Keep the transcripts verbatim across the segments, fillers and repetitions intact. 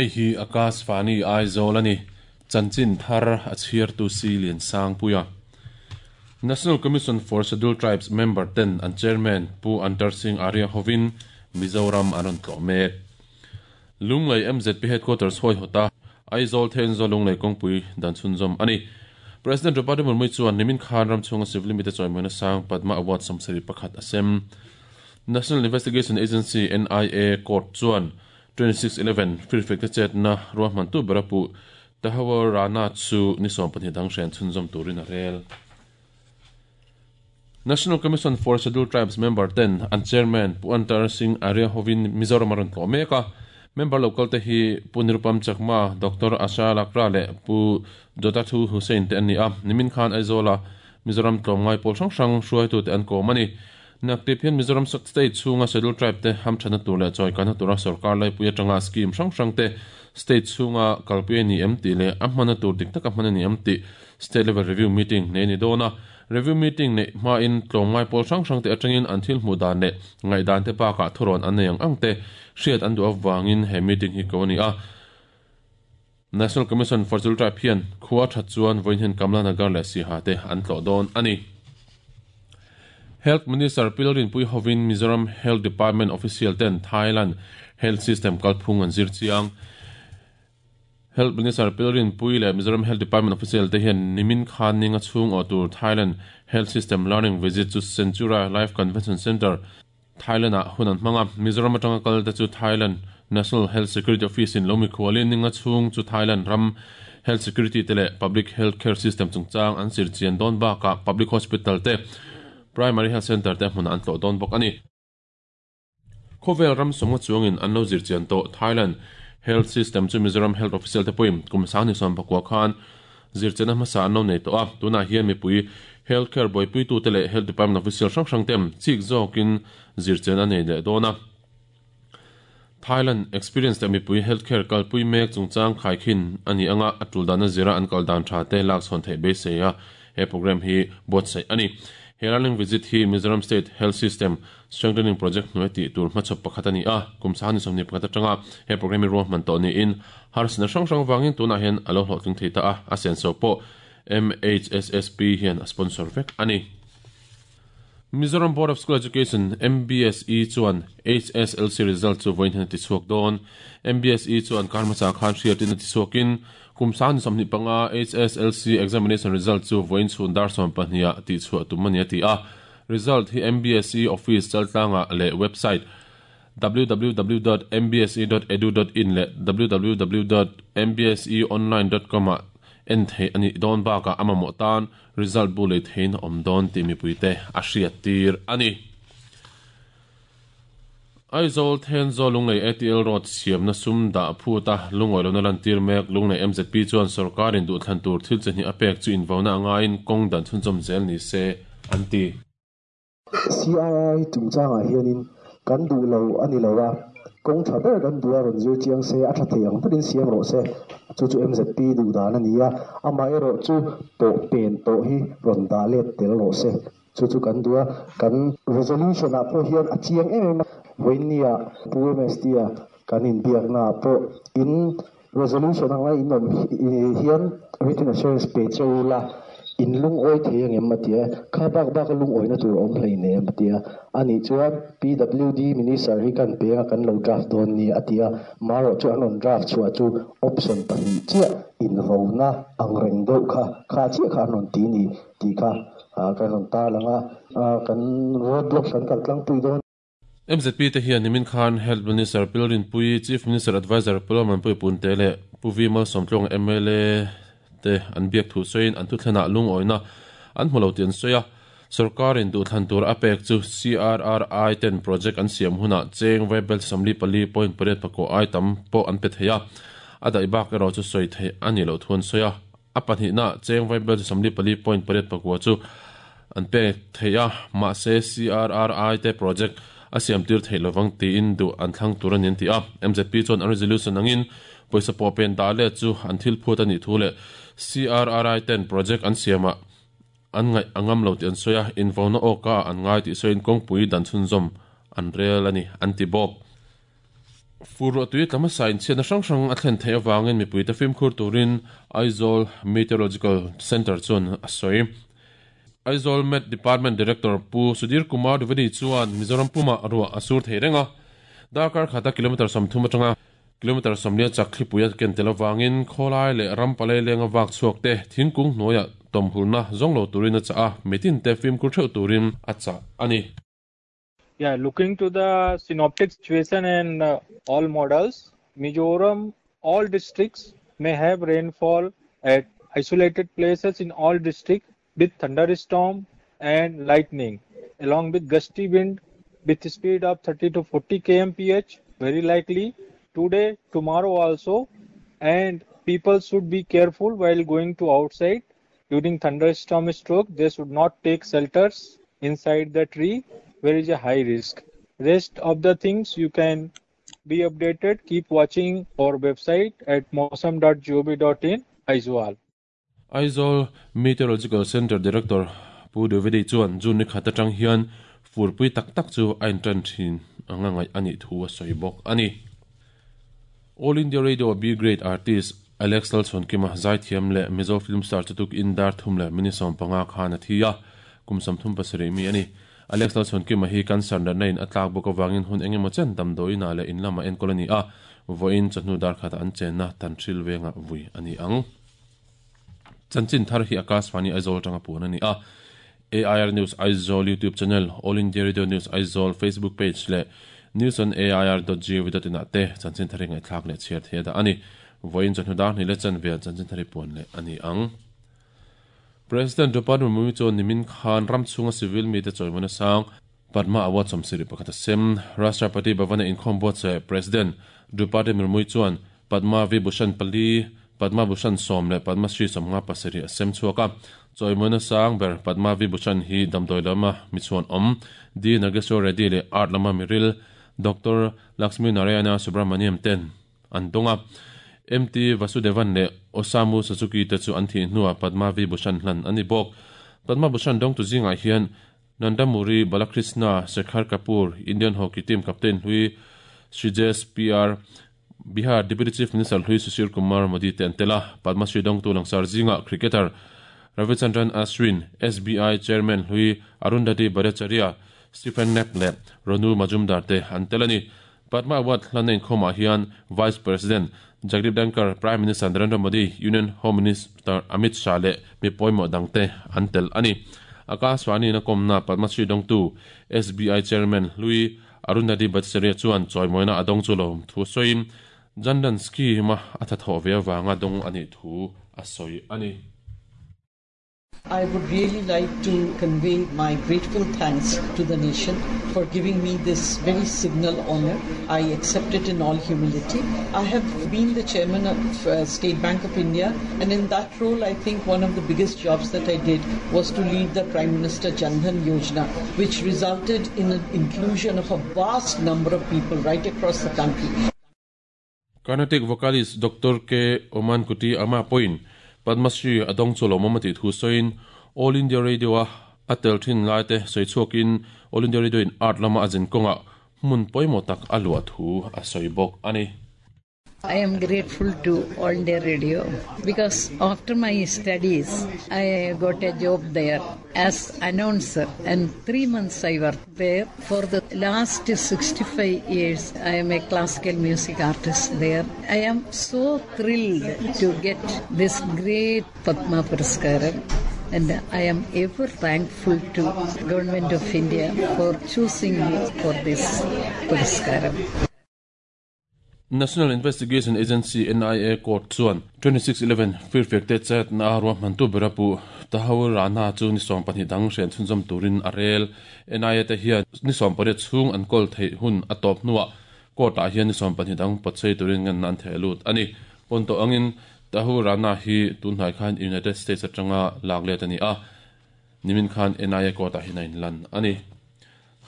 Hei hi Akashvani Aizawl a ni. Chanchin thar a chhiartu si lian sang puia. National Commission for Scheduled Tribes member ten an chairman Pu Antar Singh Arya hovin Mizoram an rawn tlawh mek. Lunglei M Z P headquarters hawi hawta Aizawl Thenzawl Lunglei kawngpui dan chhunzawm a ni. President Draupadi Murmu chuan nimin khan ram chhunga civil mite chawimawina sang Padma Award sawmsarih pakhat a sem. National Investigation Agency N I A court chuan twenty-six eleven firfek te chetna ruahman tu bera puh Tahawur Rana chu ni sawm pahnih dang hren chhunzawm turin a rel. National Commission for Scheduled Tribes member ten an chairman Pu Antar Singh Arya hovin Mizoram a rawn tlawh mek a. Member local te hi Pu Nirupam Chakma, Doctor Asha Lakra leh Pu Jotathu Hussain te an ni a. Nimin khan Aizawla Mizoram tlawmngai pawl hrang hrang hruaitu te an kawm a ni. Naktip hian Mizoram state chhunga Scheduled Tribe te hamthana tur leh chawikana tura sarkar laipui atanga scheme hrang hrang te state chhunga kalpui ani em tih leh a hmana tur dik taka hman ani em tih state level review meeting nei ni dawn a. Review meeting nei hma in tlawmngai pawl hrang hrang te atangin an thil hmuh dan leh ngaihdan te bakah thurawn an nei ang ang te hriat an duh avangin he meeting hi ko ani a. National Commission for Scheduled Tribe hian khua that chuan vawiin hian Kamla Nagar leh Siaha te an tlawh dawn ani. Health Minister Pi Lalrinpuii hovin Mizoram Health Department official ten Thailand health system kalphung an zir chiang. Health Minister Pi Lalrinpuii leh Mizoram Health Department official te hian nimin khan ninga chhung aw tur Thailand Health System Learning Visit chu Centura Life Convention Center, Thailand ah hun an hmanga. Mizoram atanga kal te chu Thailand National Health Security Office in lomi khualin ninga chhung chu Thailand ram health security te leh public health care system chungchang an zir chian dawn bakah public hospital te, primary health center te hmun an tlawh dawn bawk ani. Khawvel ram sawmnga chuangin an lo zir chian tawh Thailand health system chu Mizoram health official te pawhin kum sang ni sawm pakua khan zir chian a hmasa an lo nei tawh a. Tunah hian mipui health care buaipui tu te leh health department official hrang hrang tem chik zawkin zir chian a nei leh dawn a. Thailand experience te mipui healthcare kalpui mek chungchang khaikhin ani anga atul dan a zira an kal dan tha te lak chhawn theih beisei a he program hi buatsaih ani. He learning visit hi Mizoram State Health System Strengthening Project hnuai tih tur hmachhawp pakhat ani a. Kum sang ni sawmhnih pakhat atanga he program hi ruahman tawh niin harsatna hrang hrang wangin tunah hian alo hlawhtling thei ta a. A senso pawh M H S S P hian a sponsor vek ani. Mizoram Board of School Education M B S E chuan H S L C result chu vawiin hian a tichhuak dawn. M B S E chuan karma cha khan hriatin a tichhuakin kum sang ni sawmhnih panga H S L C examination result chu vawiin chhun dar sawm pahnih tihchhuah tum ani a ti a. Result hi M B S E office chaltlanga leh website w w w dot m b s e dot edu dot in leh w w w dot m b s e online dot com ah en thei ani dawn bakah a mamawh tan result bu lei thein a awm dawn tih mipuite a hriat tir ani. Aizawl Thenzawl Lunglei A T L Road siamna sum dah phuta lungawi lona lantir mek Lunglei M Z P chuan sarkarin duhthlan tur thil chahnih a pek chu invauna angain kawng dan chhunzawm zel ni se an ti. C R R I chungchangah hianin kan duh lo ani lo a, kawng tha ber kan duh a, rawn zir chiang se, a tha thei ang berin siam rawh se, chu chu M Z P duh dan ani a. Amaherawh chu pawh pen tawh hi rawn dah let tel rawh se, chu chu kan duh a. Kan resolution ah pawh hian a chiang em em a. Vawinia Pu M S T a kan inbiakna ah pawh in resolution anga in awm hian written assurance pe cheu la in lungawi thei angem a tia. Kha bak bak a lungawina tur a awm hleinem a tia. Ani chuan P W D minister hi kan penga kan lo draft dawn ni a tia. Marawh chu an rawn draft chhuah chu option pahnih chiah invona ang reng deuh kha kha chiah kha an rawn ti ni tih kha kan rawn tar langa kan roadblock kan kal tlangpui dawn. M Z P te hian nimin khan Health Minister Pi Lalrinpuii, Chief Minister Advisor Pu Lalmuanpuii Punte leh Pu V Malsawmtluang M L A te an biak thu sawiin an thuthlenah lungawina an hmu lo tih an sawi a. Sarkarin duhthlan tur a pek chu C R R I ten project an siam hunah cheng vaibel sawmli pali point pariat pakua ai tam pawh an pe thei a, a daih bak erawh chu sawi theih ani lo thu an sawi a. A pahnihna cheng vaibel sawmli pali point pariat pakua chu an pek thei a, mahse C R R I te project a siam tir theih lovang tiin duh an thlang tur ani an ti a. M Z P chuan an resolution angin pawisa pawh pen dah let chu an thil phut ani thu leh C R R I ten project an siamah an ngaih angam lo tih an sawi a. Invona awka an ngai tih sawiin kawngpui dan chhunzawm an rel ani an ti bawk. Fur tui tlama sain chhiatna hrang hrang a thlen theih avangin mipuite fimkhur turin Aizawl Meteorological Centre chuan a sawi. Aizawl Met Department Director Pu Sudhir Kumar Dwivedi chuan Mizoram puma ruah a sur thei reng a, darkar khata kilometre sawmthum atanga kilometre sawmlia chak thlipui a ken tel avangin khawlai leh ram palai lenga vak chhuak te thingkung hnuaiah tawmhulna zawng lo turin a chah a, mitin te fimkhur theuh turin a chah a ni. Yeah, looking to the synoptic situation and uh, all models, Mizoram, all districts may have rainfall at isolated places in all districts with thunderstorm and lightning, along with gusty wind with speed of thirty to forty K M P H, very likely today, tomorrow also, and people should be careful while going to outside during thunderstorm stroke. They should not take shelters inside the tree where is a high risk. Rest of the things you can be updated. Keep watching our website at mausam dot gov dot in. Aizawl. Aizawl Meteorological Center Director Pu Dwivedi chuan June ni khat atang hian furpui tak tak chu a intan thin anga ngai ani thu a sawi bawk ani. All India Radio B Grade Artist Alex Lalchhawnkima Zaithiam leh Mizo Film Star chutuk in dar thum leh mini sawm panga khan a thi a, kum sawmthum pasarih mi ani. Alex Lalchhawnkima hi cancer natna in a tlak bawk avangin hun engemaw chen damdawiina leh in lama enkawl ani a, vawiin chawhnu dar khatah an chenna Tanhril venga vui ani ang. Chanchin thar hi Akashvani Aizawl atanga puan ani a. A I R News Aizawl YouTube channel, All India Radio News Aizawl Facebook page leh news on A I R dot G O V dot in ah te chanchin thar hi ngaihthlak leh chhiar thei a dah ani. Vawiin chawhnu dar hnih leh chanvel chanchin thar hi puan leh ani ang. President Draupadi Murmu chuan nimin khan ram chhunga civil mi te chawimawna sang Padma Award sawmsarih pakhat a sem. Rashtrapati Bhavana inkhawm buatsaih President Draupadi Murmu chuan Padma Vibhushan pali, Padma Bhushan sawm leh Padma Shri sawmnga pasarih a sem chhuak a. Chawimawna sang ber Padma Vibhushan hi damdawi lama mi chuan awm D Nageswara Reddy leh art lama miril Doctor Lakshmi Narayana Subramaniam ten an dawng a. M T Vasudevan leh Osamu Suzuki te chu an thih hnuah Padma Vibhushan hlan ani bawk. Padma Bhushan dawng tu zingah hian Nandamuri Balakrishna, Shekhar Kapoor, Indian Hockey Team Captain Hlui Srijesh P R, Bihar Deputy Chief Minister Hlui Sushil Kumar Modi te an tel a. Padma Shri dawng tu langsar zingah cricketer Ravichandran Ashwin, S B I Chairman Hlui Arundhati Bhattacharya, Stephen Knapp leh Ronu Majumdar te an tel ani. Padma Award hlan inkhawmah hian Vice President Jagdeep Dhankhar, Prime Minister Narendra Modi, Union Home Minister Amit Shah leh mi pawimawh dangte an tel ani. Akashvani na kawmna Padma Shri dawngtu S B I Chairman Hlui Arundhati Bhattacharya chuan chawimawina a dawng chu lo thu sawiin Jan Dhan scheme a tha thawh ve avanga dawng ani thu a sawi ani. I would really like to convey my grateful thanks to the nation for giving me this very signal honor. I accept it in all humility. I have been the chairman of, uh, State Bank of India, and in that role I think one of the biggest jobs that I did was to lead the Prime Minister Jan Dhan Yojana, which resulted in the inclusion of a vast number of people right across the country. Carnatic vocalist Doctor K. Omankuti Amma Point Padma Shri adong chu lawmawm ti thu sawiin All India Radio a a tel thin lai te sawi chhuakin All India Radio in art lama a zin kawngah hmun pawimawh tak a luah thu a sawi bawk ani. I am grateful to All India Radio because after my studies I got a job there as announcer, and three months I worked there. For the last sixty-five years I am a classical music artist there. I am so thrilled to get this great Padma Puraskaram, and I am ever thankful to Government of India for choosing me for this Puraskaram. National Investigation Agency N I A Court chuan twenty-six eleven firfek te chat na ruwa mantu berapu Tahawur Rana chu ni sawm pahnih dang hren chhunzawm turin a rel. N I A te hian ni sawm pariat chhung an kawl theih hun a tawp hnuah court ah hian ni sawm pahnih dang pawtsei turin ngan an theh lut ani. Pawnto angin Tahawur Rana hi tunhnai khan United States atanga lak let ani a, nimin khan N I A court ah hian a inlan ani.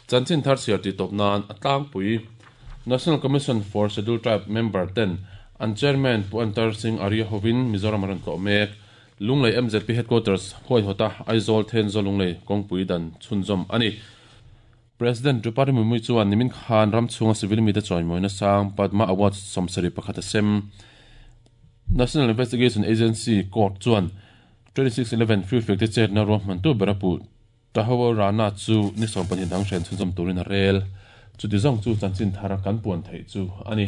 Chanchin thar siar ti tawp nan a tlangpui National Commission for Scheduled Tribe Member ten an Chairman Pu Antar Singh Arya hovin Mizoram aran tlawh mek. Lunglei M Z P Headquarters huai hawta Aizawl Thenzawl Lunglei kawngpui dan chhunzawm ani. President Draupadi Murmu chuan nimin khan ram chhunga civil mi te chawimawina sang Padma Award sawmsarih pakhat a sem. National Investigation Agency court chuan twenty-six eleven free fek te chetna ruahman tu ber a puh Tahawur Rana chu ni sawm pahnih dang hren chhunzawm turin a rel. Chuti zawng chu chanchin thar kan puan theih chu a ni.